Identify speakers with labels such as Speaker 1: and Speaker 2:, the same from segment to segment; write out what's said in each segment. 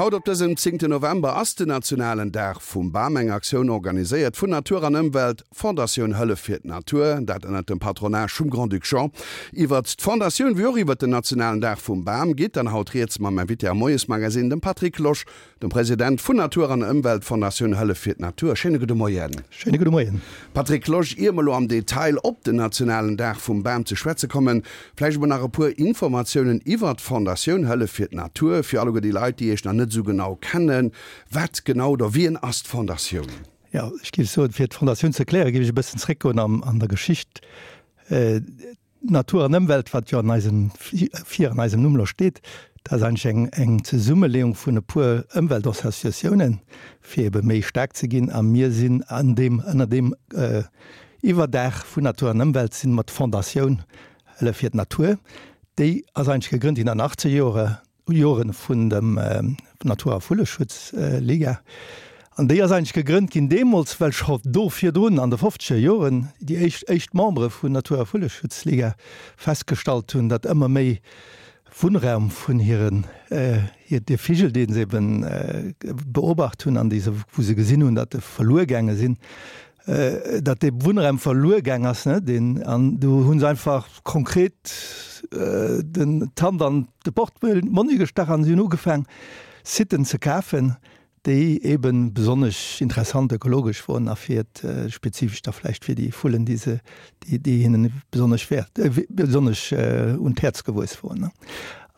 Speaker 1: Haut op dësem zéngten November ass den nationalen Dag vum Bam, eng Aktioun organiséiert vun Natur an Ëmwelt, Fondatioun Hëllef fir d'Natur, dat ënnert dem Patronage vum Grand-Duc Jean. Iwwert d'Fondatioun wéi och iwwert den nationalen Dag vum Bam geet dann haut rieds mam Invité am Moiesmagasinn, dem Patrick Losch, Dem President vun Natur an Ëmwelt, Fondatioun Hëllef fir d'Natur. Schéine gudde Moien.
Speaker 2: Schéine gudde Moien.
Speaker 1: Patrick Losch, ier mer elo am Detail op den nationalen Dag vum Bam ze schwätze kommen, vläicht emol nach e puer Informatiounen iwwert d'Fondatioun Hëllef fir d'Natur, fir alleguer déi Leit, déi Iech nach net esou genau kennen. Wat genau oder wien ass d'Fondatioun?
Speaker 2: Jo, ech géif soen, fir d'Fondatioun ze erklären, géif ech e bëssen zréckgoen an der Geschicht. Natur an Ëmwelt, wat jo an eisem, vir an eisem Numm lo steet, dat ass eigentlech eng, eng Zesummeleeung vun e puer Ëmweltassociatiounen, fir ebe méi staark ze ginn. A mir sinn an deem, ënner deem Iwwerdaach vun Natur an Ëmwelt si mer d'Fondatioun Hëllef fir d'Natur. Déi ass eigentlech gegrënnt ginn an den achtzeger Jore Joren vun dem Natur a Vulleschutz Liga. An déi ass eigentlech gegrënnt ginn deemools, well scho do virdrun an de fofzeger Joren déi éischt éischt Membere vun Natur a Vulleschutz Liga festgestallt hunn, datt ëmmer méi Wunnraum vun hiren hir de Vigel, dee se eben beobacht hunn an déi se wou se gesinn hunn, datt e verluer gaange sinn, datt dee Wunnraum verluer gaang ass, ne, deen, an do hu se einfach konkret den d'Hand an de Portmonni gestach an si hunn ugefaang Siten ze kafen, déi ebe besonnesch interessant ökologesch woren a fir spezifesch da vläicht fir déi Vullen, déi se, déi, déi hinnen besonnesch wäert, besonnesch un d'Häerz gewuess woren, ne.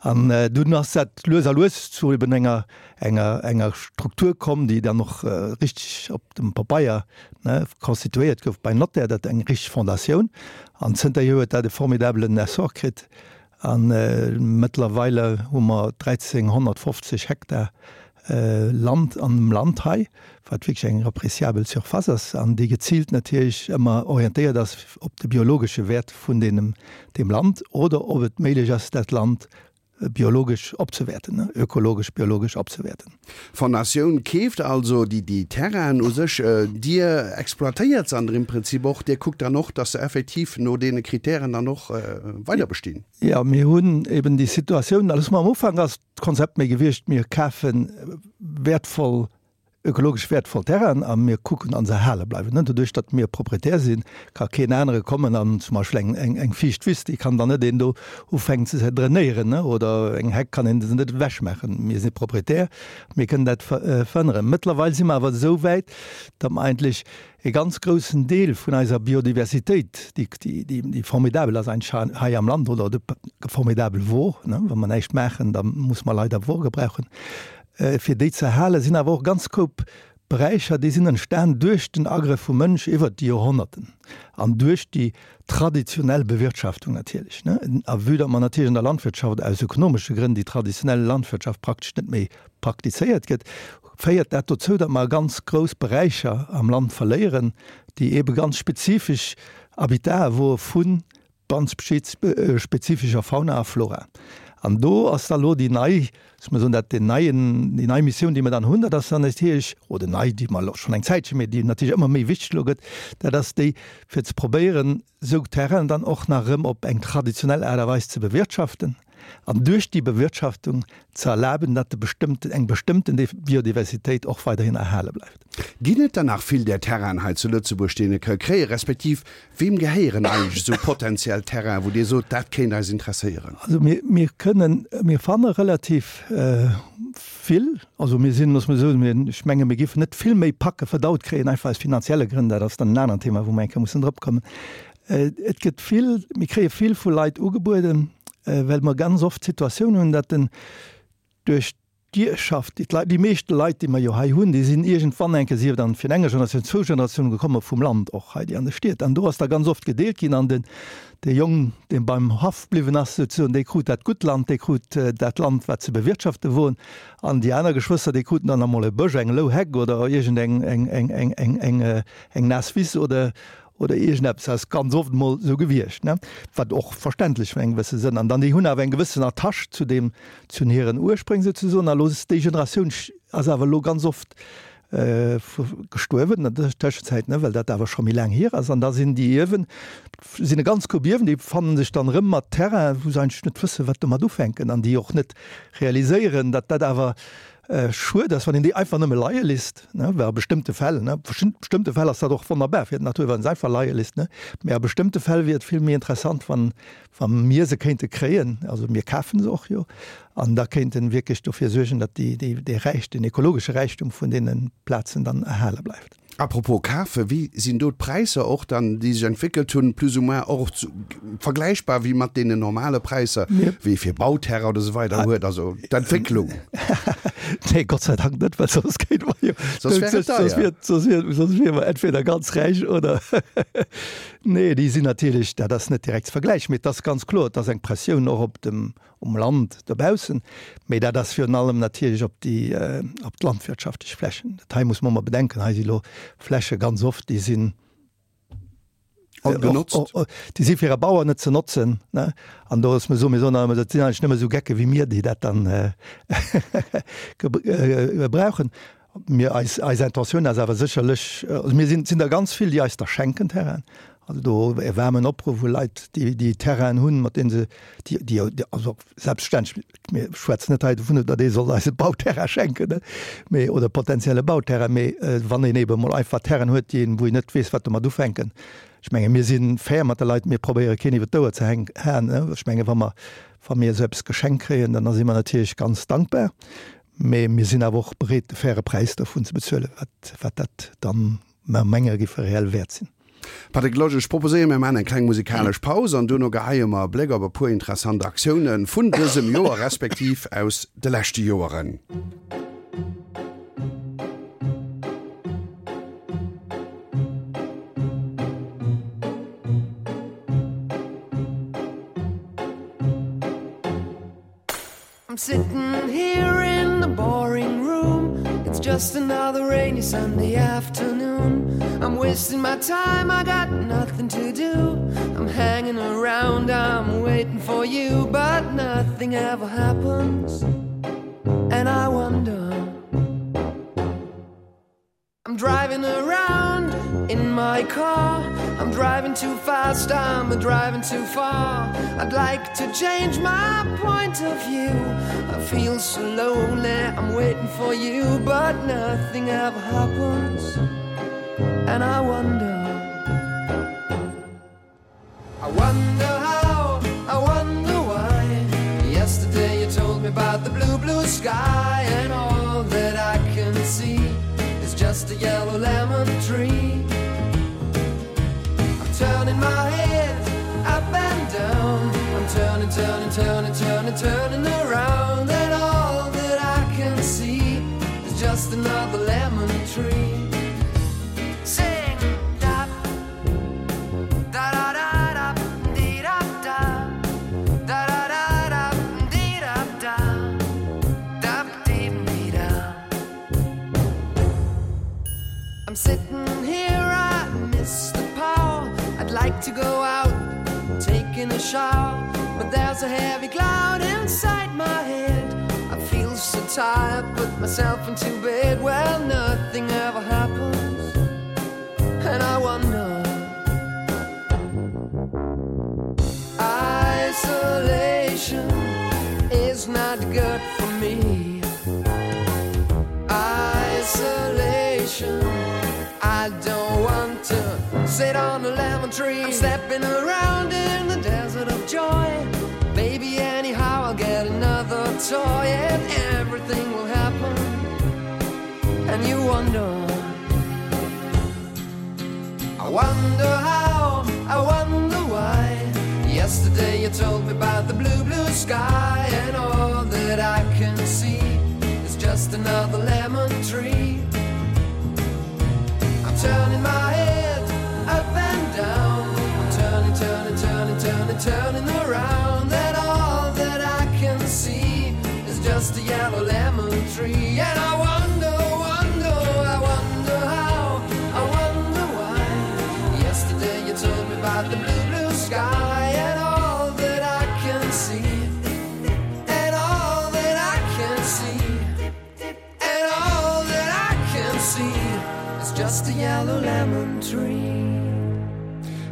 Speaker 2: An dunn ass dat lues a lues zu eben enger, enger, enger Struktur komm, déi dann och richteg op dem Pabeier, ne, constituéiert gouf beim Notaire, dat eng richteg Fondatioun. An zënterhier huet dat e formidabelen Essor kritt. A mëttlerweile hu mer 1.350 Hektar Land an dem Land hei, wat wierklech eng appréciabel Surface ass an déi geziilt natierlech ëmmer orientéiert ass op de biologesche Wäert vun deem Land oder ob et méiglech ass, dat Land biologesch opzewäerten, ökologesch, biologesch opzewäerten.
Speaker 1: D'Fondatioun keeft also déi déi Terrainen u sech, Dir exploitéiert se an der im Prinzip och, Dir kuckt dann och, dass se effektiv no deene Kritären dann och weider bestinn.
Speaker 2: Jo, mir hunn eben déi Situatioun, also am Ufank ass d'Konzept méi gewiescht, mir kafe wäertvoll ökologesch wäertvoll Terrainen a mir kucken an se erhale bleiwen. Doduerch datt mir Proprietär sinn, ka keen anere kommen an zum Beispill eng eng eng fiicht Wiss, déi kann dann net een do ufänken ze drainéieren oder eng Heck kann een se net ewechmaachen. Mir si Proprietär, mir kënnen dat verhënneren. Mëttlerweil si mer awer esou wäit, datt mer eigentlech e ganz groussen Deel vun eiser Biodiversitéit, déi déi déi formidabel ass eigentlech hei am Land oder formidabel wor, wa mer näischt maachen, da muss mer leider wor gebrauchen, Fir déi ze erhalen, sinn awer och ganz Koup Beräicher, déi sinn entstan duerch den Agrëff vum Mënsch iwwert déi Joerhonnerten an duerch déi traditionell Bewirtschaftung natierlech. A vue datt mer natierlech an der Landwirtschaft aus ökonomesche Grënn déi traditionell Landwirtschaft praktesch net méi praktizéiert gëtt, féiert dat dozou, datt mer ganz grouss Beräicher am Land verléieren, déi eebe ganz spezifesch Habitate wore vu Ganz spezifescher Fauna a Flora. An do ass da lo déi nei, ech muss soen, dat deen neien, déi nei Missioun, déi mer dann hunn, dat ass dann natierlech, oder nei, déi mer elo schonn eng Zäitche, mee déi natierlech ëmmer méi wichteg elo gëtt, dat ass déi, fir ze probéieren, esou Terrainen dann och nach erëm op eng traditionell Aart a Weis ze bewirtschaften an duerch déi Bewirtschaftung ze erlaben, datt e bestëmmten, eng bestëmmten Biodiversitéit och weiderhin erhale bleift.
Speaker 1: Ginn et dann nach vill där Terrainen hei zu Lëtzebuerg, déi een e ka kréien, respektiv weem gehéieren eigentlech esou potenziell Terrainen, wou Dir sot, dat kéint eis interesséieren?
Speaker 2: Also mir, mir kënnen, mir fanne relativ vill. Also mir sinn, loosse mer soen, mir, ech menge mir géifen net vill méi Packe verdaut kréien, einfach aus finanzielle Grënn, dat ass dann en aneren Thema, wou mer eng Kéier mussen drop kommen. Et gëtt vill, mir kréie vill vu Leit ugebueden, well mer ganz oft d'Situatioun hunn, datt den duerch D'Ierfschaft, déi d'Leit, déi meeschte Leit, déi mer jo hei hunn, déi sinn iergendwann eng Kéier, sief dann fir eng Generatioun, zwou Generatiounen gekomme vum Land och hei, déi an de Stied. An do ass da ganz oft gedeelt ginn an den, dee Jong, dee beim Haff bliwwen ass souzesoen, dee krut dat gutt Land, dee krut dat Land, wat ze bewirtschafte wor. An déi aner Geschwëster, déi kruten dann emol e Bësch, eng lou Heck oder iergend eng, eng, eng, eng, eng, eng, eng naass Wiss oder, oder iergendeppes ass ganz oft emol esou gewiescht, ne, wat och verständlech an engem gewësse Sënn. An dann déi hunn awer eng gewëssen Attache zu deem, zu hiren Urspréng souzesoen. A lo ass déi Generatioun ass awer elo ganz oft gestuerwen an der Tëschenzäit, ne, well dat awer scho méi laang hier ass. An da sinn déi Ierwen, sinn e ganz Koup Ierwen, déi fannen sech dann erëm mat Terrainen, wou se eigentlech net wëssen, wat domat ufänken an déi och net realiséieren, datt dat awer. Schued ass, wann een déi einfach nëmme leie lisst, ne, well a bestëmmte Fäll, ne, bestëmmte Fäll ass dat och wonnerbar fir d'Natur, wann se einfach leie lisst, ne, mä a bestëmmte Fäll wier et vill méi interessant, wann, wa mir se kéinte kréien, also mir kafe se och jo, an da kéinten wierklech dofir suergen, datt déi, déi, dee Räich, deen ekologesche Räichtum vun deene Plazen dann erhale bleift.
Speaker 1: Apropos kafen, wéi sinn do d'Präisser och dann, déi sech entwéckelt hunn, plus ou moins och vergläichbar wéi mat deenen normale Präisser, wéi ee fir Bauterrain oder esou weider huet, also d'Entwécklung?
Speaker 2: Nee, Gott sei Dank net, well soss kéinte mer jo, soss wär et deier. Soss wier, soss wiere mer entweder ganz räich oder nee, déi sinn natierlech, dat ass net direkt ze vergläichen, mee et ass ganz kloer, et ass eng Pressioun och op dem, um Land dobaussen, mee dat ass virun allem natierlech op déi, op d'landwirtschaftlech Flächen. Dat hei muss mer ëmmer bedenken, hei si lo Fläche ganz oft, déi sinn
Speaker 1: Ongenotzt.
Speaker 2: Déi si fir e Bauer net ze notzen, ne? An do ass mir soe mir soen ëmmer, dat sinn eigentlech nëmme esou Gecke wéi mir, déi dat dann gebrauchen. Mir, eis, eis Intentioun ass awer sécherlech, also mir sinn, sinn der ganz vill, déi eis da schenken Terrainen. Also do e waarmen Opruff u Leit, déi, déi Terrainen hunn, mat deene se, déi, déi, also selbstverständlech, mir schwätzen net hei dovun, datt ee soll eis e Bauterrain schenken, ne, mee, oder potenzielle Bauterrain, mee wann een eebe mol einfach Terrainen huet, déi een, wou een net weess, wat domat ufänken. Ech menge mir si fair mat de Leit, mir probéiere keen iwwer d'Ouer ze hänk, haen, ne. Ech menge wa mer, wa mir esou eppes geschenkt kréien, dann si mer natierlech ganz dankbar. Mee mir sinn awer och bereet, de faire Präis dovun ze bezuelen, wat, wat dat dann, mer menge géif reell wäert sinn.
Speaker 1: Patrick Losch, ech proposéieren, mir maachen eng kleng musikalesch Paus an duerno geheie mer e Bléck op e puer interessant Aktioune vun dësem Joer respektiv aus de leschte Joeren.
Speaker 3: I'm sitting here in the boring room It's just another rainy Sunday afternoon I'm wasting my time, I got nothing to do I'm hanging around, I'm waiting for you But nothing ever happens And I wonder I'm driving around in my car I'm driving too fast, I'm driving too far I'd like to change my point of view I feel so lonely, I'm waiting for you But nothing ever happens And I wonder I wonder how, I wonder why Yesterday you told me about the blue, blue sky And all that I can see is just a yellow lemon tree I'm turning my head up and down I'm turning, turning, turning, turning, turning around And all that I can see is just another lemon tree Sing da da da da da dee da da da da da da dee da da da dee dee da I'm sitting here I miss the power I'd like to go out taking a shower but there's a heavy cloud inside my head I feel so tired put myself into bed well nothing ever happens and I wonder Isolation is not good for me Isolation I don't want to sit on a lemon tree I'm stepping around in the desert of joy Maybe anyhow I'll get another toy and everything will happen and you wonder I wonder how, I wonder why Yesterday you told me about the blue, blue sky And all that I can see is just another lemon tree I'm turning my head up and down I'm turning, turning, turning, turning, turning around And all that I can see is just a yellow lemon tree And I wonder, wonder, I wonder how, I wonder why Yesterday you told me about the blue, blue sky And all that I can see And all that I can see And all that I can see Is just a yellow lemon tree.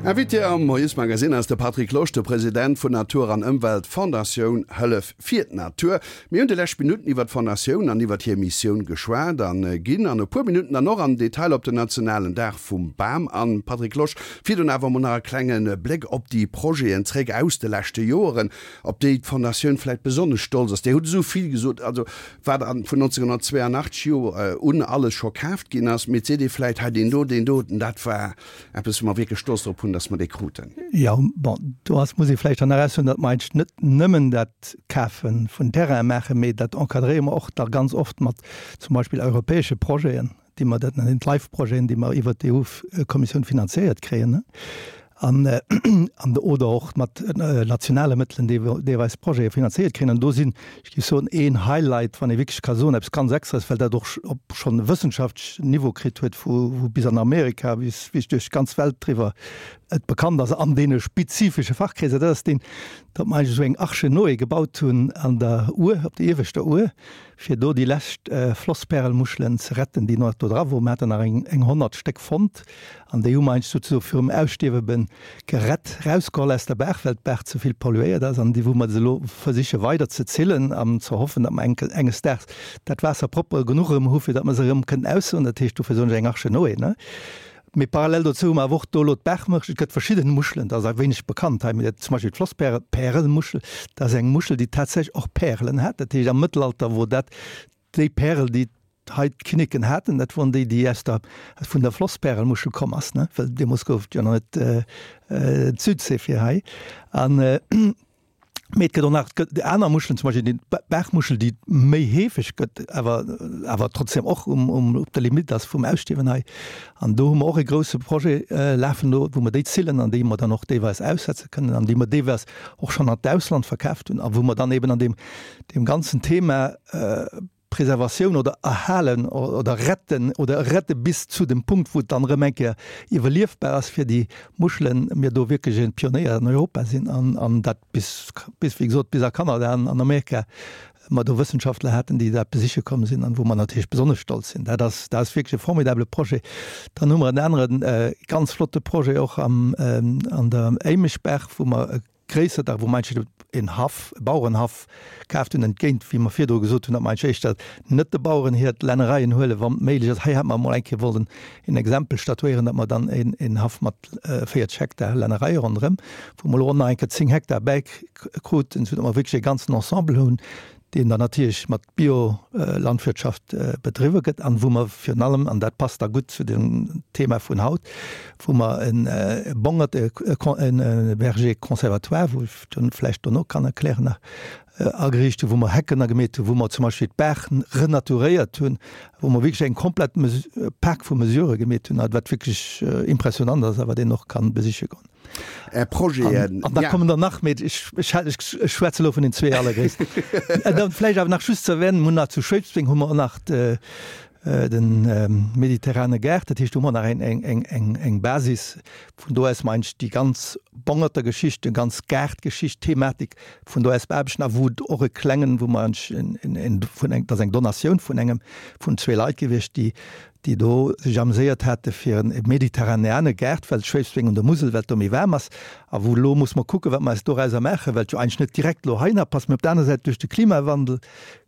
Speaker 1: Invité am Moiesmagazine ass de Patrick Losch, de President vun Natur an Ëmwelt Fondatioun Hëllef fir d'Natur. Mir hunn déi lescht Minutten iwwer d'Fondatioun an iwwer hir Missioun geschwat an ginn an e puer Minutten dann och am Detail op den nationalen Dag vum Bam an. Patrick Losch, virdrun awer emol nach e klenge Bléck op déi Projeten zréck aus de leschte Joeren, op déi d'Fondatioun vläicht besonnesch stolz ass. Dir hutt esou vill gesot, also wat an vun 1982 jo un alles scho kaaft ginn ass, mee et seet ee vläicht hei deen do, deen doten, dat war Eppes, wou mer wierklech stolz drop hunn, dass mer dee kruten.
Speaker 2: Jo, bon, do ass, muss ee vläicht dann nach aussoen, datt mer eigentlech net nëmmen dat Kafe vun Terraine maachen, mee dat encadréiere mer och da ganz oft mat zum Beispill europäesche Projeten, déi mer, dat nennen d'LIFE-Projeten, déi mer iwwert d'EU-Kommissioun finanziéiert kréien, an, an oder och mat nationale Mëttelen, déi deelweis Projete finanziéiert kréien. An do sinn, ech géif soen, een Highlight, wann ee wierklech ka soen, eppes ganz Extraes, well dat och op schonn e wëssenschaftlechen Niveau kritt huet, wou wou bis an Amerika, bis wierklech duerch d'ganz Welt driwwer et bekannt ass an deene spezifesche Fachkreeser, dat ass deen, datt mer eigentlech esou eng Arche Noé gebaut hunn an der Our, op der ieweschter Our, fir do déi lescht Flosspärelmuschelen ze retten, déi nach do dra woren. Mer haten nach eng 100 Stéck fonnt an déi hu mer eigentlech souzesoe virum Ausstierwe be gerett, rausgeholl aus der Baach, well d'Baach ze vill polluéiert ass an déi wou mer se elo versiche weider ze zillen an ze hoffen, datt mer enke enges Daags dat Waasser propper genuch erëm hu fir datt mer se erëm kënnen aussoen. Dat heescht, dofir soen ech eng Arche Noé, ne? Mee parallel dozou hu mer awer och do elo d'Baachmuschel. Et gëtt verschidden Muschelen, dat ass e wéineg bekannt hei, mee zum Beispill d'Flosspärel, Pärelmuschel, dat ass eng Muschel, déi tatsächlech och Pärelen hat. Dat heescht am Mëttelalter wor dat déi Pärel, déi hei d'Kinneken haten, dat woren déi, déi aus der, vun der Flosspärelmuschel komm ass, ne, well deemools gouf et jo nach net d'Südsee fir hei. An Mee et gëtt och nach et gëtt aner Muschelen, zum Beispill déi Baachmuschel, déi méi heefeg gëtt, awer awer trotzdem och um um op der Limite ass vum Ausstierwen hei. An do hu mer och e grouse Projet lafen do, wou mer déi zillen an déi mer dann och deelweis aussetze kënnen an déi mer deelweis och schonn an d'Ausland verkaaft hunn a wou mer dann eben an deem deem ganzen Thema Preservatioun oder erhalen oder retten oder rette bis zu dem Punkt, wou et dann erëm eng Kéier iwwerliefbar ass fir déi Muschelen, mir do wierklech e Pionéier an Europa sinn an an dat bis, bis wéi gesot, bis a Kanada an an Amerika mer do Wëssenschaftler haten, déi dat besiche komm sinn an wou mer natierlech besonnesch stolz sinn. Dat ass, dat ass wierklech e formidable Projet. Dann hu mer en anere ganz flotte Projet och am an der Éimeschbaach, wou mer e Gréisser Dag, wou mer eigentlech en Haff, e Bauerenhaff kaaft hunn, entgéint, wéi mer virdru gesot hunn, datt mer eigentlech éischter net de Baueren hir Lännereien huelen, wann et méiglech ass. Hei hätt mer emol eng Kéier wollen en Exempel statuéieren, datt mer dann en Haff mat 40 Hektar Lännereie ronderëm, wou mer elo och nach eng Kéier 10 Hektar bäikruten, soudatt mer wierklech e ganzen Ensemble hunn, deen dann natierlech mat Biolandwirtschaft bedriwwe gëtt an wou mer virun allem, an dat passt da gutt zu dem Thema vun haut, wou mer e Bongert, e Verger conservatoire, wou ech dann vläicht dono kann erklären nach, ageriicht hunn, wou mer Hecken agemeet hunn, wou mer zum Beispill d'Baach renaturéiert hunn, wou mer wierklech eng komplett Pak vu Mesurë gemeet hunn, wat wierklech impressionant ass a wat een och kann besiche goen.
Speaker 1: Är Projeten.
Speaker 2: An da kommen der nach méi. Ech, ech, ech schwätze elo vun den zwee allergréissten. Dann vläicht awer nach just ze erwänen, mir hunn nach zu Schwéidsbeng hu mer och nach de, de mediterrane Gaart. Dat heescht, do hu mer nach eng, eng, eng, eng, eng Basis, vun do aus mer eigentlech déi ganz Bongerter-Geschicht, déi ganz Gaartgeschicht, Thematik vun do aus beaarbechten a wou et och e klengen, wou mer eigentlech en, en, en, vun eng, dat ass eng Donatioun vun engem, vun zwee Leit gewiescht, déi déi do sech ameséiert hate fir e mediterraneane Gaart, well Schwéidsbeng un der Musel, well et do méi waarm ass, a wou elo muss mer kucken, wat mer eis dorauser maachen, well et jo eigentlech net direkt elo heihinner passt. Mee op der aner Säit, duerch de Klimawandel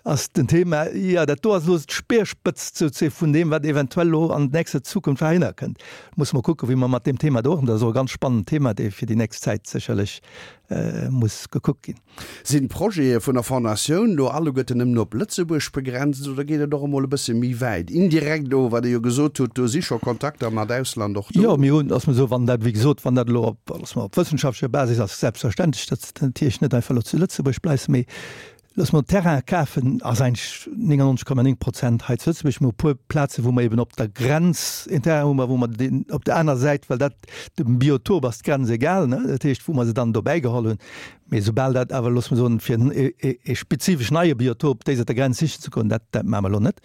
Speaker 2: ass den Thema, jo, dat do ass elo d'Speerspëtzt souzee vun deem, wat eventuell elo an nächster Zukunft heihinner kënnt. Musse mer kucken, wéi mer mat deem Thema do och, dat ass och e ganz spannend Thema, dee fir déi nächst Zäit sécherlech muss gekuckt ginn.
Speaker 1: Sinn d'Projete vun der Fondatioun do alleguerten nëmmen op Lëtzebuerg begrenzt oder geet et och emol e bësse méi wäit? Indirekt elo, wat Der jo gesot hutt, do si scho Kontakter mat Ausland och do.
Speaker 2: Jo, mir hunn, lass mer soen, wann dat, wéi gesot, wann dat elo op, lass mer, op wëssenschaftlecher Basis ass, selbstverständlech, datt et natierlech net einfach elo zu Lëtzebuerg bleift, mee looss mer Terrain kafen ass eigentlech 99,9 Prozent hei zu Lëtzebuerg. Mir hu e puer Plazen, wou mer eben op der Grenz een Terrain hunn, ma wou mer deen op der aner Säit, well dat dem Biotop ass d'Grenz egal, ne, dat heescht, wou mer se dann dobäi geholl hunn. Mee soubal dat awer, loosse mer soen, fir e spezifesch neie Biotop déiser der Grenz sichen ze goen, dat, dat maache mer elo net.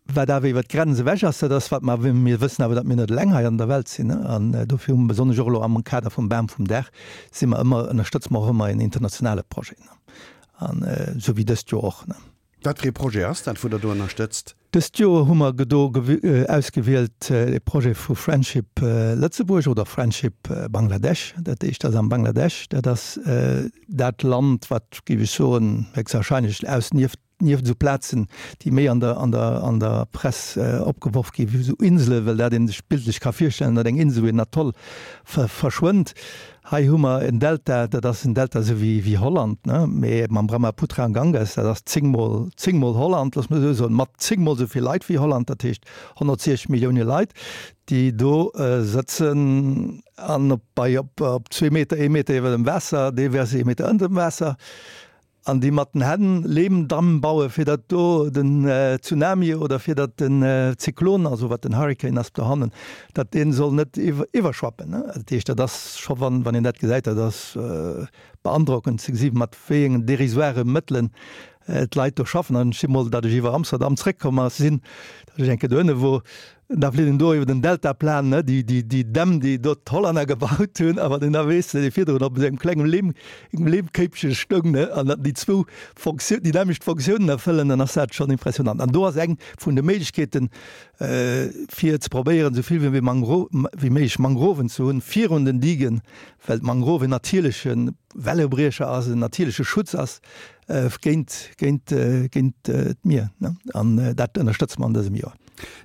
Speaker 2: Wat awer iwwert d'Grenz ewech ass, dat ass, wat mer, mir wëssen awer, datt mir net eleng hei an der Welt sinn, an dofir hu mer besonnesch och elo am Kader vum Bam vum Dag si mer ëmmer, ënnerstëtze mer och ëmmer en internationale Projet, an esou wéi dëst Joer och.
Speaker 1: Wat fir ee Projet ass dat, wou Der do ënnerstëtzt?
Speaker 2: Dëst Joer hu mer do ausgewielt e Projet vu Friendship Lëtzebuerg oder Friendship Bangladesch. Dat éischt ass am Bangladesch. Dat ass dat Land, wat, géif ech soen, héchstwahrscheinlech aus nieft nieft esou Plazen, déi méi an der an der an der Press opgeworf gi wéi esou Insele, well dat ee sech bildlech ka virstellen, datt eng Insel, wou een Atoll verschwënnt. Hei hu mer en Delta, dat ass en Delta esou wéi, wéi Holland, ne, mee mam Brahmaputra an Ganges, dat ass zéngmol, zéngmol Holland, looss mer esou soen, mat zéngmol esou vill Leit wéi Holland, dat heescht 160 Millioune Leit, déi do sëtzen an op, bei, op, op zwee Meter, ee Meter iwwer dem Waasser, deelweis ee Meter ënner dem Waasser. An déi mat den Hänn Leemdamm bauen, fir datt do den Tsunami oder fir datt den Zyklon, also wat den Hurricane ass dohannen, datt dee soll net iwwerschwappen. Dat heescht, dat ass scho, wann een dat gesäit, dat ass beandrockend ze gesi mat wéi engen dérisoire Mëttelen d'Leit do schaffen. An ech si mol, datt ech iwwer Amsterdam zréckkomm ass, sinn, datt ech eng Kéier dohinne wor, Da flitt en do iwwer den Deltaplan, ne, déi, déi, déi Dämm, déi do d'Hollänner gebaut hunn, a wann een da weess, datt ee virdrun op esou engem klengem Leem, engem Leemkéipche stoung, ne, an datt déi zwou Fonktioun, déi nämmlecht Fonctiounen erfëllen, dann ass dat schonn impressionant. An do ass eng vun de Méiglechkeeten, fir ze probéieren, esou vill wéi Mangro, wéi méiglech Mangroven ze hunn virun den Digen, well d'Mangrove en natierleche Wellebriecher ass, en natierleche Schutz ass géint, géint, géint d'Mier, ne. An dat ënnerstëtze mer an dësem Joer.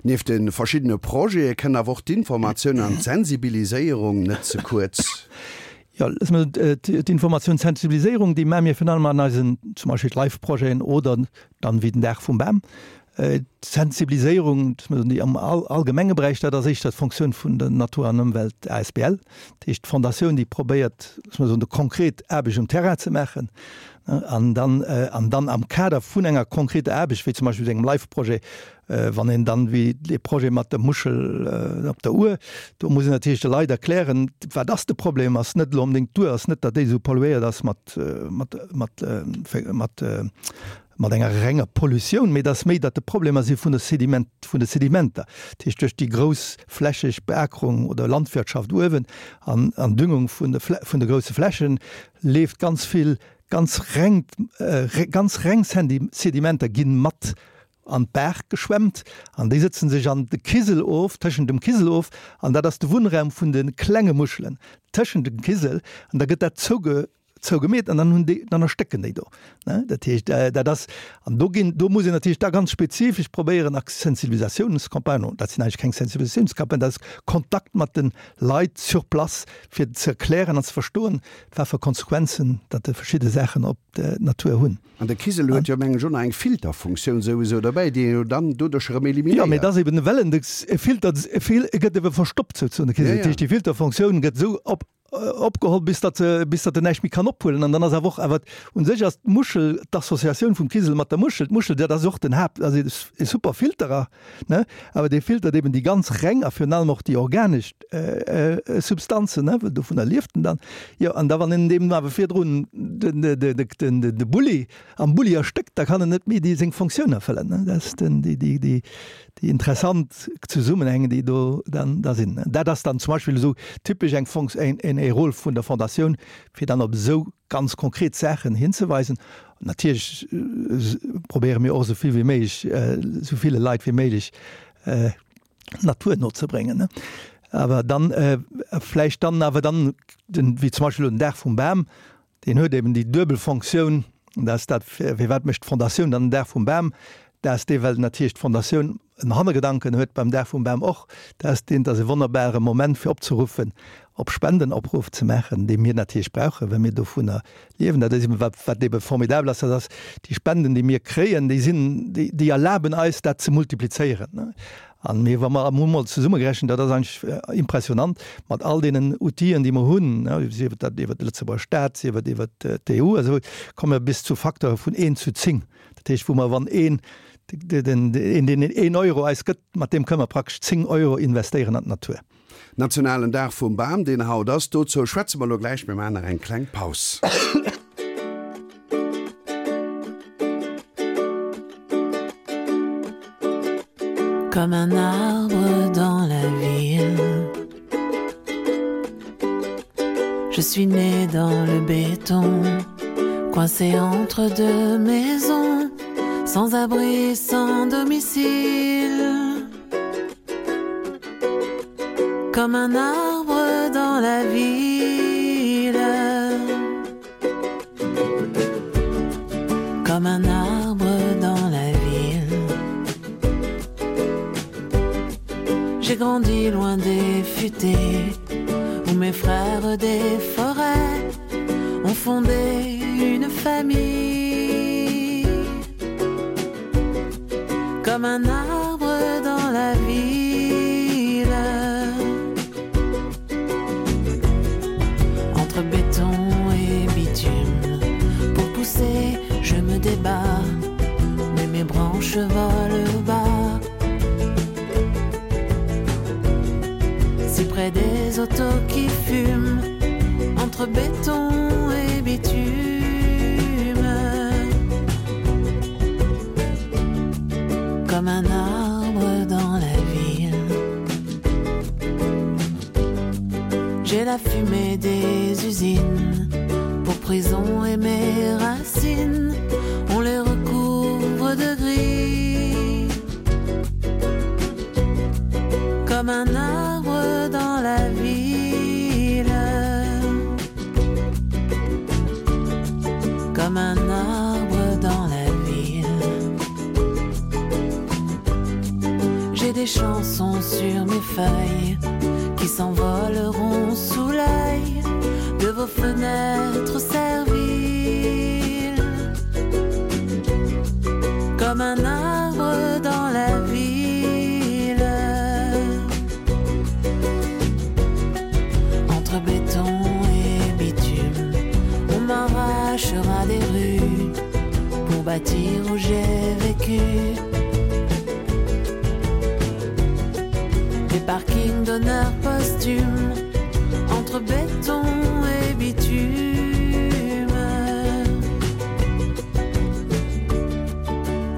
Speaker 1: Nieft de verschiddene Projete kënnt awer och d'Informatioun an d'Sensibiliséierung net ze kuerz.
Speaker 2: Jo, d'Informatioun, d'Sensibiliséierung, déi maache mir virun allem an eisen zum Beispill d'Life-Projeten oder dann wéi den Dag vum Bam. D'Sensibiliséierung, déi am allgemenge Beräich, dat ass éischter d'Fonctioun vun der Natur an Ëmwelt asbl. Dat heescht d'Fondatioun, déi probéiert, loosse mer soen, de konkret Aarbecht um Terrain ze maachen an dann, an dann am Kader vun enger konkreter Aarbecht, wéi zum Beispill esou engem Life-Projet, Wann een dann, wéi dee Projet mat der Muschel op der Our, do muss een natierlech de Leit erklären, wat ass de Problem, ass net elo onbedéngt d'Our, ass net, datt déi esou polluéiert ass mat, mat, mat, mat, mat enger renger Pollutioun, mee et ass méi, datt de Problemer si vun de Sediment, vun de Sedimenter, dat heescht duerch déi groussflächeg Beakerung oder Landwirtschaft uewen an, an Düngung vun de, vun de grousse Flächen, leeft ganz vill ganz rengt, ganz reng Sedimenter ginn mat an d'Baach geschwemmt an déi sëtzen sech an de Kisel of, tëschent dem Kisel of, an dat ass de Wunnraum vun de klenge Muschelen, tëschent dem Kisel, an da gëtt dat zouge zougemeet an dann hunn déi, dann erstécken déi do, ne. Dat heescht, dat ass, an do ginn, do muss een natierlech da ganz spezifesch probéieren a Sensibilisatiounscampagnen, dat sinn eigentlech keng Sensibilisatiounscampagnen, dat ass Kontakt mat de Leit sur place, fir ze erklären an ze verstoen, wat fir Konsequenzen datt déi verschidde Saachen op d'Natur hunn.
Speaker 1: An de Kisel huet jo mengen ech och nach eng Filterfunktioun souwisou derbäi, déi een jo dann doduerch erëm eliminéiert.
Speaker 2: Jo, mee et ass eben, well en de Filter, e gëtt ebe verstoppt souzesoen, de Kisel. Dat heescht, déi Filterfunktioun gëtt esou op, opgeholl, bis datt se, bis datt en näischt méi kann ophuelen. An dann ass awer och, awer u sech ass d'Muschel, d'Associatioun vum Kisel mat der Muschel, d'Muschel, dat ass och den Haapt, ass e super Filterer, ne, awer dee filtert eben déi ganz reng a virun allem och déi organesch Substanzen, ne, well dovunner lieft en dann. Jo, an da wann en deem awer virdrun den, de, den, de Bulli am Bulli erstéckt, da kann en net méi déi seng Fonctioun erfëllen, ne. Dat ass den, déi, déi, déi, déi interessant Zesummenhänge, déi do dann da sinn. Dat ass dann zum Beispill esou typesch eng Fonc-, een, een e Rôle vun der Fondatioun, fir dann op esou ganz konkret Saachen hinzeweisen. Natierlech probéiere mir och esou vill wéi méiglech, esou ville Leit wéi méiglech d'Natur no ze bréngen. Awer dann vläicht dann awer dann, wéi zum Beispill elo den Dag vum Bam, deen huet eben déi duebel Fonctioun, dass dat, firwat mécht d'Fondatioun dann den Dag vum Bam, dass dee, well natierlech d'Fondatioun en Hannergedanken huet beim Dag vum Bam och, dass deen, dass e wonnerbare Moment fir opzeruffen, op Spendenopruff ze maachen, dee mir natierlech brauchen, well mir dovunner liewen. Dat ass eben wat, wat ebe formidabel ass, dat ass déi Spenden, déi mir kréien, déi sinn, déi, déi erlaben eis dat ze multiplizéieren. An mir, wa mer hu mol zesummegerechent, dat ass eigentlech impressionant, mat all deenen Outill'en, déi mer hunn, sief et dat iwwert de Lëtzebuerger Staat, sief et iwwert d'EU a sou, komme mer bis zu Facteure vun een zu 10. Dat heescht, wou mer, wann een, den, een, deen een Euro eis gëtt, mat deem kënne mer praktesch 10 Euro investéieren an d'Natur.
Speaker 1: Nationalen Dag vum Bam, deen haut ass, dozou schwätze mer elo gläich. Mir maachen nach eng kleng Paus.
Speaker 3: Comme un arbre dans la ville Je suis né dans le béton Coincé entre deux maisons. Sans abri, sans domicile. Comme un arbre dans la ville. Comme un arbre dans la ville. J'ai grandi loin des futaies où mes frères des forêts ont fondé une famille. Comme un arbre dans la ville. Entre béton et bitume, pour pousser, je me débats, mais mes branches volent bas. Si près des autos qui fument, entre béton et bitume. Comme un arbre dans la ville. J'ai la fumée des usines pour prison et mes racines, on les recouvre de gris. Comme un arbre dans la ville. Comme un arbre dans la ville. J'ai des chansons sur mes feuilles qui s'envoleront sous l'œil de vos fenêtres serviles. Comme un arbre dans la ville. Entre béton et bitume, on m'arrachera des rues pour bâtir où j'ai vécu. Des parkings d'honneur posthume entre béton et bitume.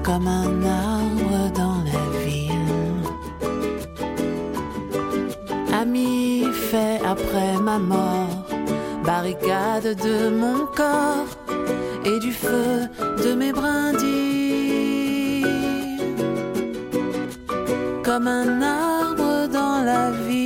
Speaker 3: Comme un arbre dans la ville. Ami fait après ma mort, barricade de mon corps et du feu de mes brindilles. Comme un arbre dans la ville.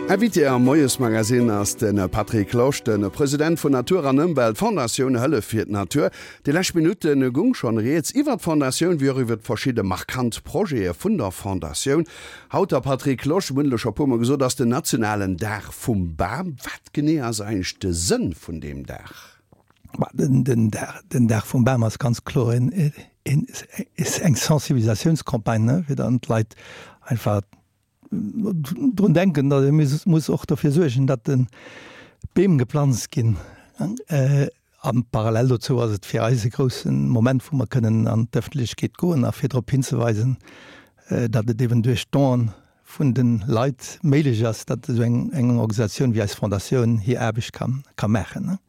Speaker 1: Invité am Moiesmagazin ass de Patrick Losch, de President vun Natur an Ëmwelt, Fondatioun Hëllef fir d'Natur. Déi lescht Minutte gung schonn rieds iwwer d'Fondatioun wéi och iwwer verschidde markant Projete vun der Fondatioun. Haut, Här Patrick Losch, mir hunn et elo scho e puermol gesot, ass den nationalen Dag vum Bam. Wat genee ass eigentlech de Sënn vun deem Dag?
Speaker 2: Den Dag vum Bam ass ganz kloer eng Sensibilisatiounscampagne, fir dann d'Leit einfach drun denken, datt ee muss och dofir suergen, datt de Beem geplanzt ginn. A parallel dozou ass et fir eis e grousse Moment, wou mer kënnen an d'Ëffentlechkeet goen a fir drop hinzeweisen, datt et eben duerch d'Donen vun de Leit méiglech ass, datt esou eng Organisatioun wéi eis Fondatioun hir Aarbecht ka maachen.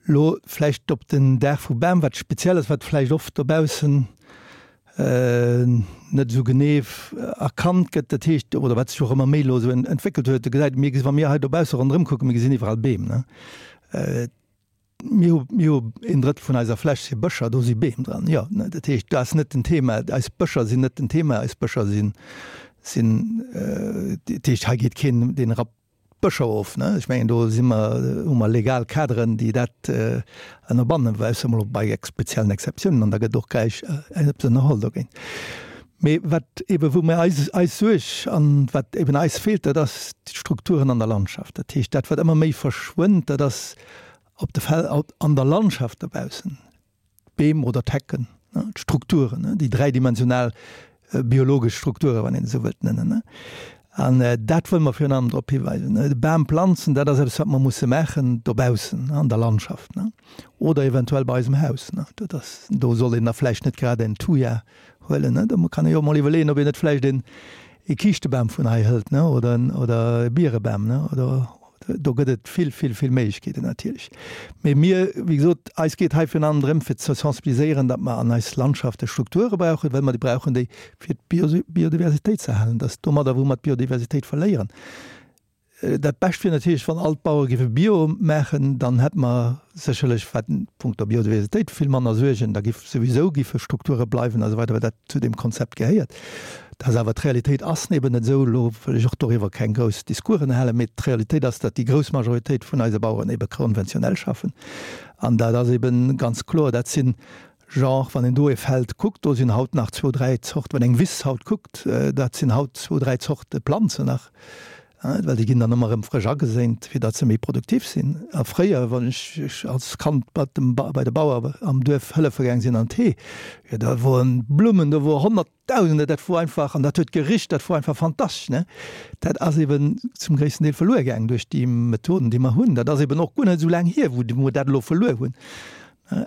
Speaker 2: Elo vläicht op den Dag vum Bam, wat speziell ass, wat vläicht oft dobaussen net esou genee erkannt gëtt, dat heescht, oder wat sech och ëmmer méi elo esou entwéckelt huet, do gesäit, mir, wa mir hei dobausse ronderëm kucken, mir gesinn iwwerall Beem, ne. Mir hu, mir hu een Drëttel vun eiser Fläch si Bëscher, do si Beem dran, jo, ne. Dat heescht, do ass net den Thema, eis Bëscher sinn net den Thema, eis Bëscher sinn, sinn, dat heescht, hei geet keen deen erap Bëscher of, ne? Ech mengen, do si mer, hu mer legal Kaderen, déi dat ënnerbannen, ausser emol bei speziellen Exceptiounen, an da gëtt och gläich eppes ënnerholl dogéint. Mee wat eebe wou mir eis, eis Suerg an wat eeben eis feelt, dat ass d'Strukturen an der Landschaft. Dat heescht, dat wat ëmmer méi verschwënnt, dat ass op de Fel, an der Landschaft dobaussen. D'Beem oder d'Hecken, d'Strukturen, déi dräidimensional biologesch Strukturen, wann een se esou wëllt nennen. An dat wëlle mer virun allem drop hiweisen. De Bam planzen, dat ass eppes, wat mer musse maachen dobaussen an der Landschaft oder eventuell bei eisem Haus. Dat ass, do soll een da vläicht net grad en Thuja huelen. Do kann ee jo emol iwwerleeën, ob een net vläicht een e Kiischtebam vun hei hëlt oder e Bierebam oder. Do gëtt et vill, vill, vill Méiglechkeeten natierlech. Mee mir, wéi gesot, eis geet hei virun allem drëm, fir ze sensibiliséieren, datt mer an eis Landschafte Strukture brauchen, well mer déi brauchen, déi fir d'Biodiversitéit ze erhalen. Dat ass domadder, wou mer d'Biodiversitéit verléieren. Dat Bescht wier natierlech, wann all d'Bauere géife Bio maachen, dann hätte mer sécherlech, wat punkto Biodiversitéit, vill manner Suergen. Da giff souwisou giffe Strukture bleiwen a sou weider, well dat zu deem Konzept gehéiert. Dat ass awer, d'Realitéit ass eben net esou. Elo wëll ech och doriwwer keng grouss Discoursen halen, mee d'Realitéit ass, datt déi grouss Majoritéit vun eise Baueren ebe konventionell schaffen. An dat ass ebe ganz kloer, dat sinn Genre, wann een do e Feld kuckt, do sinn haut nach zwou, dräi Zorte, wann eng Wiss haut kuckt, dat sinn haut zwou, dräi Zorte Planzen nach, well déi ginn dann ëmmer erëm frësch ageséint, fir datt se méi produktiv sinn. A fréier, wann ech als Kand bei dem, bei de Bauer am Duerf hëllefe gaang sinn an d'Hee, jo da woren Blummen, do wor Honnertdausende, dat wor einfach, an dat huet gericht, dat wor einfach fantastesch, ne. Dat ass eben zum gréissten Deel verluer gaang duerch déi Methoden, déi mer hunn. Dat ass eben och guer net esou laang hier, wou mer dat elo verluer hunn.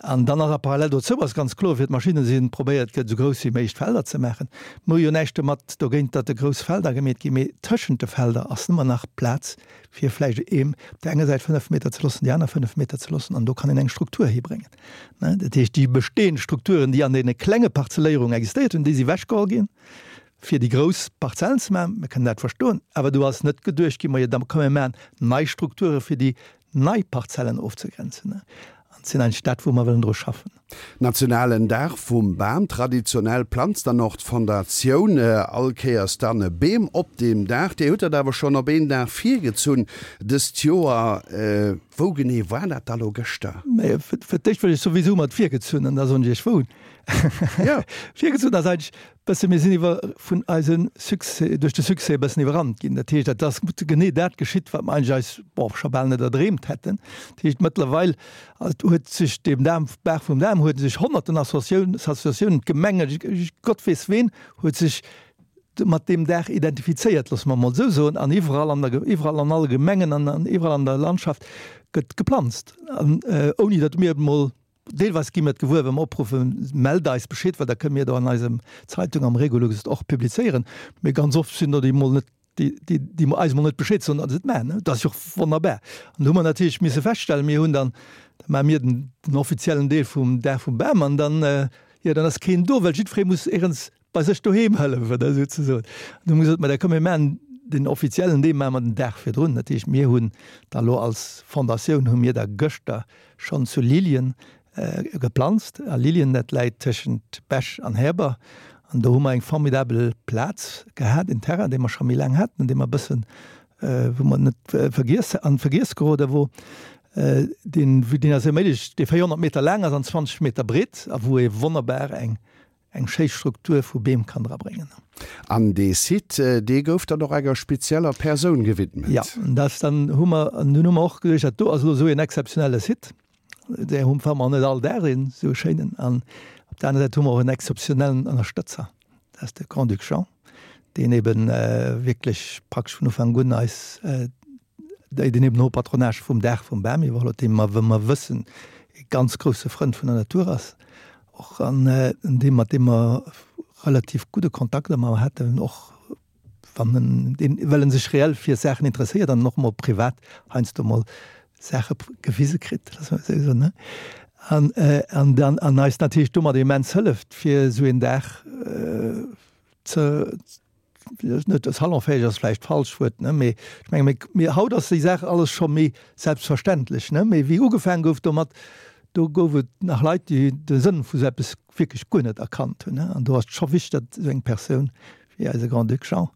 Speaker 2: An dann ass a parallel dozou ass ganz kloer, fir d'Maschinne sinn, probéiert gëtt, esou grouss wéi méiglech d'Felder ze maachen. Mir hu jo näischt domat dogéint, datt de grouss Felder gemeet ginn, mee tëschent de Felder ass nëmmer nach Plaz, fir vläicht eem op där enger Säit 5 Meter ze loossen, déi aner 5 Meter ze loossen, an do kann een eng Struktur hibréngen. Dat heescht, déi bestehend Strukturen, déi an deene klenge Parzelléierungen existéiert hunn, déi si wechgeholl ginn, fir déi grouss Parzellen ze maachen. Mir kënnen dat verstoen, awer do ass net geduecht ginn, majo da komm mir maachen nei Strukture fir déi nei Parzellen ofzegrenzen. An et sinn eigentlech dat, wou mer wëllen dru schaffen.
Speaker 1: Nationalen Dag vum Bam, Traditionell planzt dann och d'Fondatioun all Kéiers dann Beem op deem Dag. Dir hutt dat awer schonn op een Dag virgezunn dëst Joer. Wou genee war dat da lo gëschter?
Speaker 2: Fir d'éischt wëll ech souwisou mat virgezunn an da soen ech iech wou. Virgezunn ass eigentlech Bësse, mir sinn iwwer vun eise Succès, duerch de Succès e bëssen iwwerrannt ginn. Dat heescht, et ass genee dat geschitt, wat mer eigentlech eis, bon, scho bal net erdreemt hätten. Dat heescht, mëttlerweil huet sech deem Dam, Dag vum Dam huet sech honnerten Associatiounen, Associatiounen, d'Gemenge, Gott weess ween, huet sech mat deem Dag identifizéiert, loosse mer emol esou soen, an iwwerall an der, iwwerall an alle Gemengen an iwwerall an der Landschaft gëtt geplanzt, an ouni datt mir emol Deelweis gi mir et gewuer, wa mer opruffen, Mellt eis Bescheed, well da kënne mir do an eisem Zeitung, am Regolux et och publizéieren. Mee ganz oft sinn der, déi emol net, déi, déi, déi eis emol net Bescheed soen, datt se et maachen. Dat ass jo och wonnerbar. An do hu mer natierlech misse feststellen, mir hunn dann, da maache mir den, den offiziellen Deel vum Dag vum Bam an dann, jo, dann ass keen do, well jiddweree muss éierens bei sech doheem hëllefen, da souzesoen. An du hu mer gesot, ma da komm mir maachen den offiziellen Deel maache mer den Dag virdrun. Dat heescht, mir hunn da lo als Fondatioun hu mir da gëschter schonn zu Lilien geplanzt. A Lilien, dat läit tëschent Bech an Häber. An do hu mer eng formidabel Plaz gehat, en Terrain, dee mer scho méi laang haten, dee mer e bëssen, wou mer net vergiess, an d'Vergiess gerode wor, deen, deen ass erméiglecht, dee 400 Meter laang ass an 20 Meter breet a wou ee wonnerbar eng eng schéi Struktur vu Beem kann dra bréngen.
Speaker 1: An dee Site, dee gouf dann och enger spezieller Persoun gewidmet.
Speaker 2: Jo, dat dann hu mer, an dunn hu mer och geduecht, dat do ass elo esou een exzeptionelle Site, där hu mer net all Dag een esou e schéinen. An op der aner Säit hu mer och en exzeptionellen Ënnerstëtzer, dat ass de Grand-Duc Jean, deen eben wierklech praktesch vun Ufank un eis, déi den eben och Patronage vum Dag vum Bam iwwerholl huet, dee mer, wou mer wëssen, e ganz grousse Frënd vun der Natur ass. Och an deem, mat deem mer relativ gudde Kontakt ëmmer haten, och wann en deen, well en sech reell fir Saachen interesséiert an och mol privat heiansdo mol Saache gewise kritt, loosse mer et esou soen, ne? An, an dann, an eis natierlech domat immens hëlleft, fir esou een Dag ze, net salonfäeg ass vläicht d'falscht Wuert, ne, mee ech menge mir, mir, haut ass déi Saach alles scho méi selbstverständlech, ne, mee wéi ugefaang gouf domat, do gouf et nach Leit, déi de Sënn vu sou eppes wierklech guer net erkannt hunn, ne, an do ass et scho wichteg, datt esou eng Persoun wéi eise Grand-Duc Jean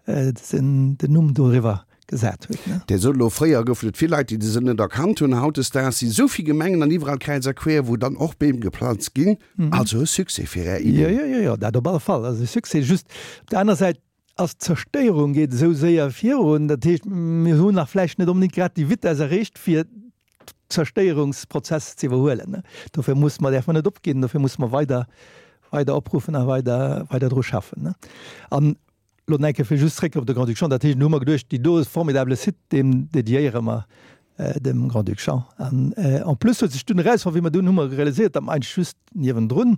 Speaker 2: den, den Numm doriwwer gesat huet, ne.
Speaker 1: Dir sot elo, fréier goufen et vill Leit, déi de Sënn net erkannt hunn. Hautdesdaags si sou vill Gemengen an iwwerall kräiz a quer, wou dann och Beem geplanzt ginn. Also e Succès fir Är
Speaker 2: Idee. Jo, jo, jo, jo, dat op alle Fall ass e Succès. Just op der aner Säit ass d'Zerstéierung geet esou séier virun. Dat heescht, mir hunn nach vläicht net onbedéngt grad déi Vitess erreecht, fir d'Zerstéierungsprozess ze iwwerhuelen. Dofir muss mer, däerfe mer net opginn, dofir muss mer weider, weider opruffen a weider, weider dru schaffen. An Lo nach eng Kéier fir just zréck op de Grand-Duc Jean. Dat heescht, do hu mer geduecht, déi do formidable Site, deem dediéiere mer dem Grand-Duc Jean. An en plus huet sech dunn erausfonnt, wéi mer dunn hu mer realiséiert, datt mer eigentlech just niewendrun.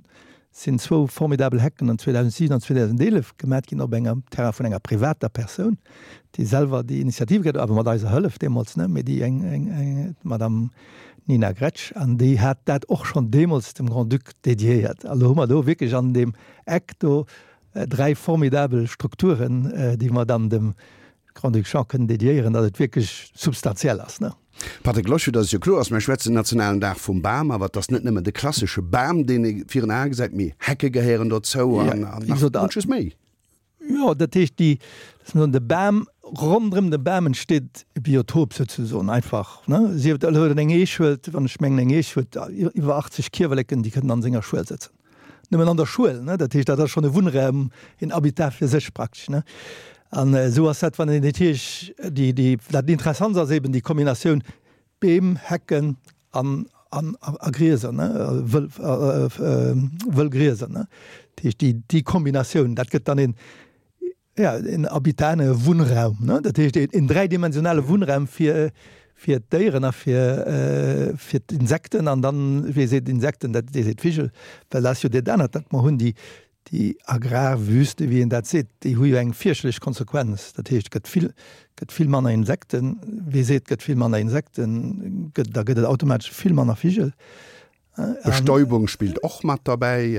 Speaker 2: sinn zwou formidabel Hecken an 2007 an 2011 gemat ginn op engem Terrain vun enger privater Persoun, déi selwer déi Initiativ gehat huet, awer mat eiser Hëllef deemools, ne, mee déi eng, eng, eng, d'Madame Nina Gretsch, an déi hat dat och schonn deemools dem Grand-Duc dédiéiert. A lo hu mer do wierklech an deem Eck do dräi formidabel Strukturen, déi mer dann dem Grand-Duc Jean kënnen dédiéieren, datt et wierklech substantiell ass, ne.
Speaker 1: Patrick Losch, Fir datt et jo kloer ass, Mir schwätzen den nationalen Dag vum Bam, awer et ass net nëmmen de klassesche Bam, deen ee virun Ae gesäit, mee Hecke gehéieren dozou an nach munches méi.
Speaker 2: Jo, dat heescht, déi, lass mer soen, de Bam, ronderëm de Bam entsteet e Biotop souzesoen einfach, ne. Sief et elo eng Eech huelt, wann ech mengen, eng Eech huet iwwer 80 Kiewerleken, déi kënnen an senger Schuel sëtzen. Nëmmen an der Schuel, ne? Dat heescht, dat ass schonn e Wunnraum, een Habitat fir sech praktesch, ne? An esou ass dat, wann een natierlech déi, déi, dat Interessantst ass eben déi Kombinatioun Beem, Hecken an, an, a Grieser, ne, wëll, wëll Grieser, ne? Dat heescht, déi, déi Kombinatioun, dat gëtt dann een, ja, een Habitat, e Wunnraum, ne? Dat heescht, een dräidimensionale Wunnraum fir, fir d'Déieren a fir, fir d'Insekten an dann, wee seet Insekten, dat, dee seet Vigel, well dat ass jo dat anert, dat mer hunn, déi, déi Agrarwüste, wéi een dat seet, déi hu jo eng fierchterlech Konsequenz. Dat heescht, et gëtt vill, gëtt vill manner Insekten. Wee seet, et gëtt vill manner Insekten, gëtt, da gëtt et automatesch vill manner Vigel.
Speaker 1: Bestäubung spillt och mat derbäi.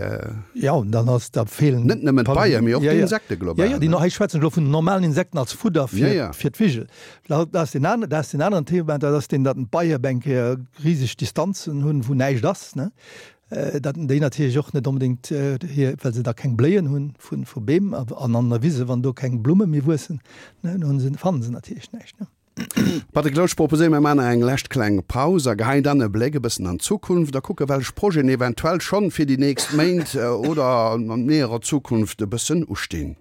Speaker 2: Jo, dann ass, da feelen.
Speaker 1: Net nëmmen d'Beie, mee och d'Insekte global.
Speaker 2: Jo, jo, déi, hei schwätzen ech elo vun den normalen Insekten als Fudder fir, fir d'Vigel. Dat ass deen aneren, dat ass deen aneren Thema, dat ass deen, datt d'Beie op eng Kéier riseg Distanzen hunn, wou näischt ass, ne. Datt déi natierlech och net onbedéngt hir, well se da keng Bléien hunn vu, vu Beem an an der Wise, wann do keng Blumme méi wuessen, ne, dann hunn se, fannen se natierlech näischt, ne.
Speaker 1: Patrick Losch, proposéier mir man eng lescht kleng Paus a geheien dann e Bléck e bëssen an d'Zukunft a kucke welch Projeten eventuell schonn fir déi nächst Méint oder an näherer Zukunft e bëssen ustinn.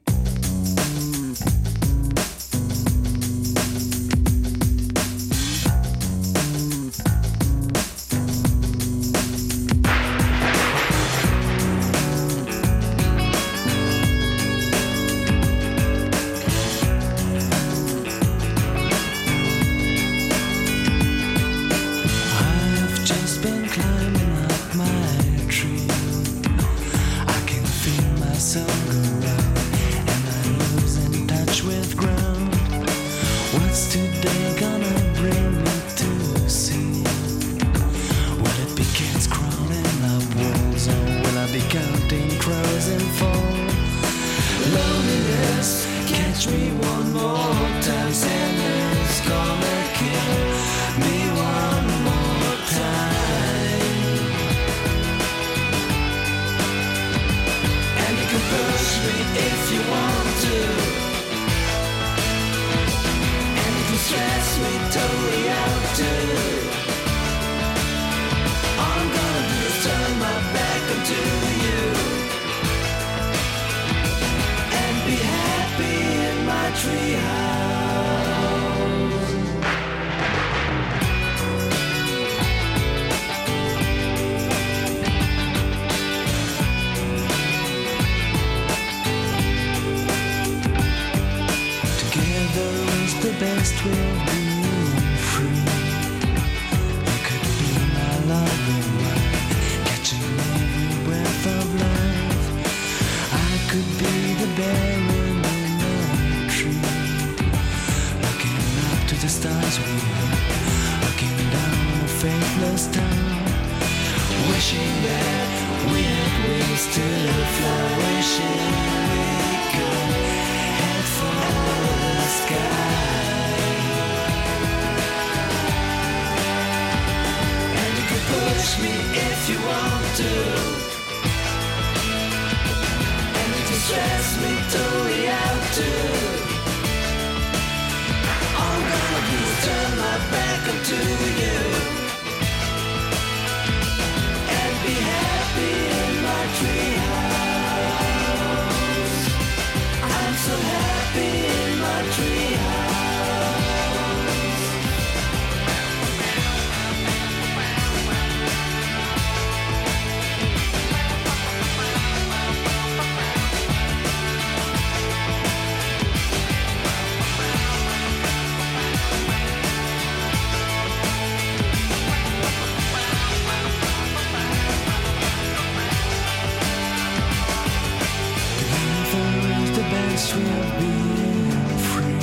Speaker 3: this way of being free.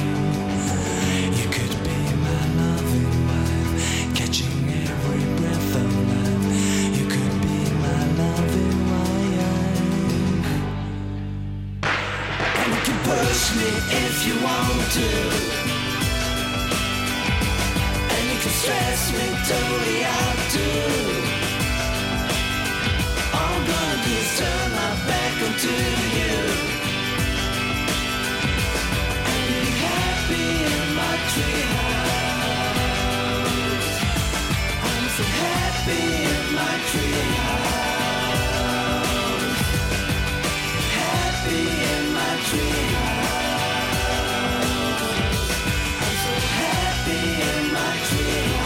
Speaker 3: You could be my loving wife, catching every breath of life. You could be my loving wife. And you can push me if you want to. And you can stress me totally out too. All I'm gonna do is turn my back onto you. And be happy in my treehouse. I'm so happy in my treehouse. Happy in my treehouse. I'm so happy in my treehouse.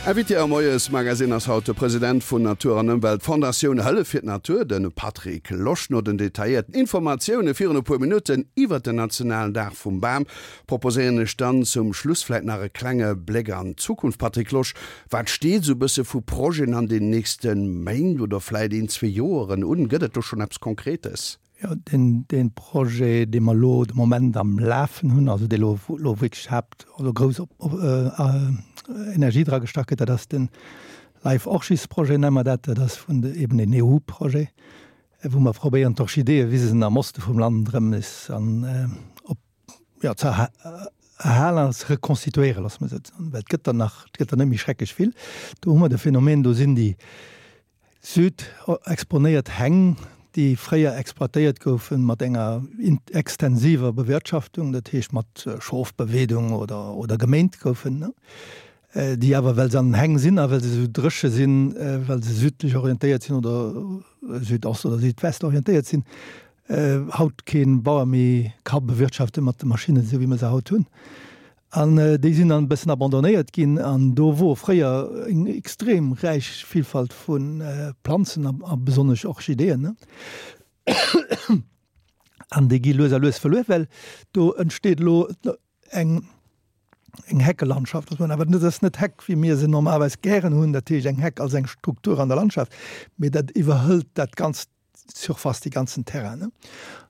Speaker 1: Invité am Moiesmagazine ass haut de President vun Natur an Ëmwelt Fondatioun Hëllef fir d'Natur, de Patrick Losch. No den detailléierten Informatioune virun e puer Minutten iwwert den nationalen Dag vum Bam, proposéieren ech dann zum Schluss vläit nach e klenge Bléck an d'Zukunft. Patrick Losch, Wat steet esou bësse vu Projeten an den nächste Méint oder vläit een, zwee Joeren un? Gëtt et do schonn eppes Konkretes?
Speaker 2: Jo, deen, dee Projet, dee mer elo de Moment am Lafen hunn, also dee elo, wou elo wierklech Haapt-, also grouss Energie dra gestach gëtt, dat ass de Life Orchis Projet, nenne mer dat. Dat ass vun de, eben een EU-Projet, wou mer probéieren d'Orchideeëwisen am Oste vum Land erëm nees an op jo, ze erhalen an ze rekonstituéieren, loosse mer esou soen, well et gëtt der nach, et gëtt der net méi schrecklech vill. Do hu mer de Phänomen, do sinn déi südexponéiert Häng, déi fréier exploitéiert goufen mat enger extensiver Bewirtschaftung, dat heescht mat Schofbeweedung oder, oder geméint goufen, déi awer, well se an den Häng sinn a well se esou dréche sinn, well se südlech orientéiert sinn oder südost oder südwest orientéiert sinn, haut kee Bauer méi ka bewirtschaften mat de Maschinnen, esou wéi mer se haut hunn. An déi sinn dann e bëssen abandonnéiert ginn. An do wor fréier eng extrem räich Vielfalt vu Planzen a besonnesch Orchideeën. An déi gi lues a lues verluer, well do entsteet elo eng eng Heckelandschaft, dass man awer net, ass net Heck wéi mir se normalerweis gären hunn, dat heescht eng Heck als eng Struktur an der Landschaft, mee dat iwwerhëlt dat ganzt Surface, dee ganzen Terrain. Ne?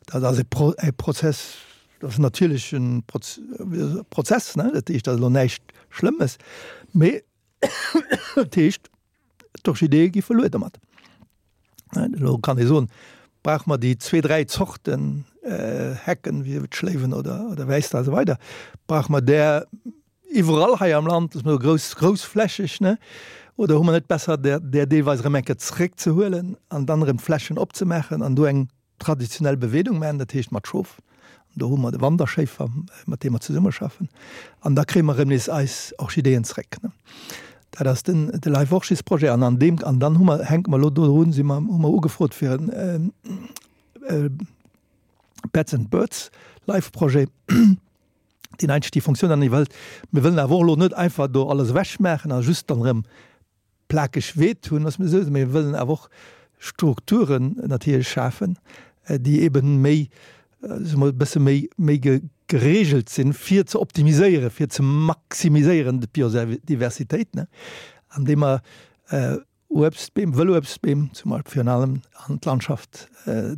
Speaker 2: Dat ass e, Pro, e Prozess, dat ass natierlech en Proz, Prozess, ne? Dat heescht, dat ass elo näischt Schlëmmes, mee dat heescht, d'Orchideeë gi verluer domat. Elo kann ee soen, brauche mer déi zwee, dräi Zorten Hecken, wéi d'Schléiwen oder, oder Wäisser a sou weider, brauche mer där iwwerall hei am Land, dass mer grouss, groussflächeg, ne? Oder hu mer net besser, där, där deelweis erëm eng Kéier zréckzehuelen an dann erëm d'Flächen opzemaachen an do eng traditionell Beweedung maachen, dat heescht mat Schof. An do hu mer de Wanderschéifer, mat deem mer zesummeschaffen. An da kréie mer erëm nees eis Orchideeën zréck. Dat ass den, de Life Orchis Projet. An an deem, an dann hu mer, hänke mer elo dodrun, si mer, hu mer ugefrot fir en Bats and Birds Life Projet, deen eigentlech déi Funktioun dann iwwerhëlt. Mir wëllen awer och elo net einfach do alles ewechmaachen a just dann erëm plakeg Weed hunn, ass mir esou, mee mir wëllen awer och Strukturen natierlech schafen, déi eben méi, soe mer, e bësse méi, méi geregelt sinn, fir ze optimiséieren, fir ze maximiséieren d'Biodiversitéit, ne, andeem mer Uebstbeem, Wëlluebstbeem zum Beispill virun allem an d'Landschaft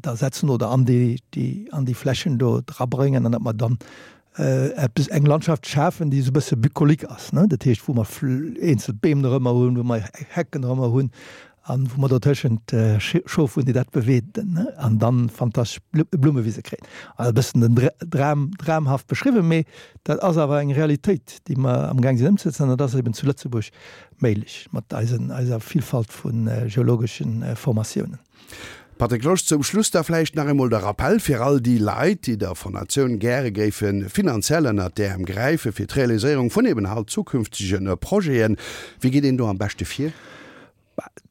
Speaker 2: da setzen oder an déi, déi, an déi Flächen do drabréngen an datt mer dann eppes, eng Landschaft schafen, déi esou e bësse bucolique ass, ne, dat heescht, wou mer eenzel Beem dorëmmer hunn, wou mer Hecken dorëmmer hunn an wou mer dotëschent Schof hunn, déi dat beweeden, ne, an dann fantastesch Blummewise kréien. Also e bëssen den Dram, dramhaft beschriwwen, mee dat ass awer eng Realitéit, déi mer amgaang sinn ëmzesetzen an dat ass eben zu Lëtzebuerg méiglech mat eisen, eiser Villfalt vu geologeschen Formatiounen.
Speaker 1: Patrick Losch, Zum Schluss da vläicht nach eemol de Rappell fir all déi Leit, déi der Fondatioun gäre géife finanziell ënnert d'Äerm gräife fir d'Realiséierung vun eben halt zukünftege Projeten. Wéi geet een do am beschte vir?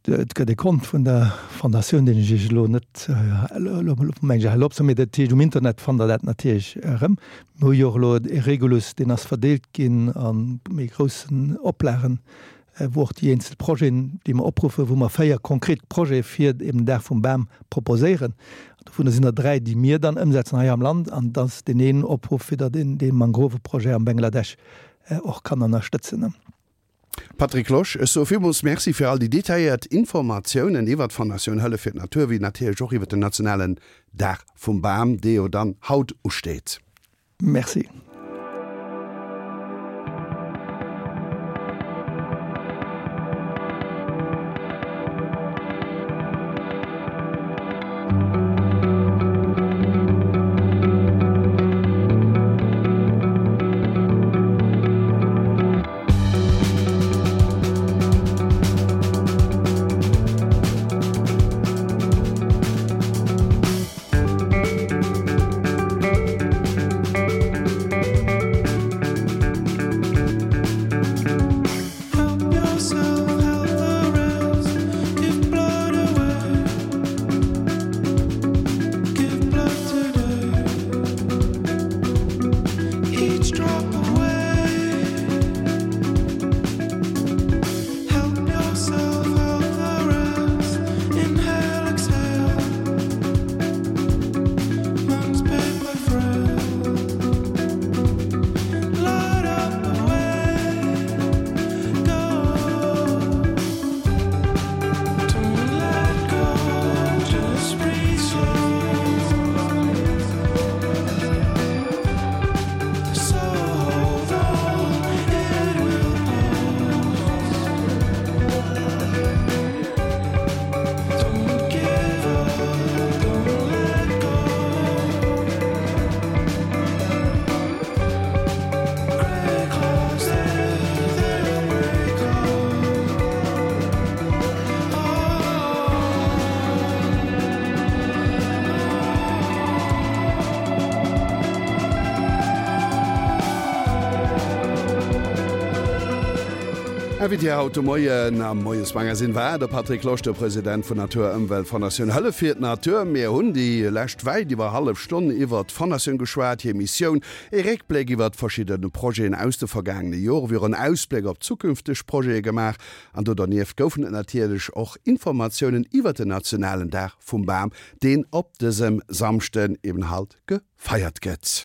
Speaker 2: Et gëtt e Kont vun der Fondatioun, deen ech Iech elo net, elo mengen ech elo opzesoen, mee dat heescht um Internet fannt Der dat natierlech erëm. Mir hu jo och elo e Regulus, deen ass verdeelt ginn a méi groussen Oplagen, wou och déi eenzel Projeten, déi mer opruffen, wou mer 4 konkret Projete fir eben den Dag vum Bam proposéieren. Dovunner sinn der 3, déi mir dann ëmsetzen hei am Land, an et ass deen een Opruff, fir datt een dee Mangroveprojet am Bangladesch och kann ënnerstëtzen.
Speaker 1: Patrick Losch, ech soe villmools Merci fir all déi detailléiert Informatiounen iwwert d'Fondatioun Hëllef fir d'Natur, wéi natierlech och iwwert den nationalen Dag vum Bam, dee jo dann haut usteet.
Speaker 2: Merci.
Speaker 1: Invité haut de Moien am Moiesmagazine war de Patrick Losch, de President vun Natur Ëmwelt Fondatioun Hëllef fir d'Natur. Mir hunn déi lescht wäit iwwer hallef Stonn iwwert d'Fondatioun geschwat, hir Missioun, ee Réckbléck iwwert verschidde Projeten aus de vergaangene Jore wéi och en Ausbléck op zukünfteg Projete gemaach. An do dernieft goufen et natierlech och Informatiounen iwwert den nationalen Dag vum Bam, deen op dësem Samschden eben halt gefeiert gëtt.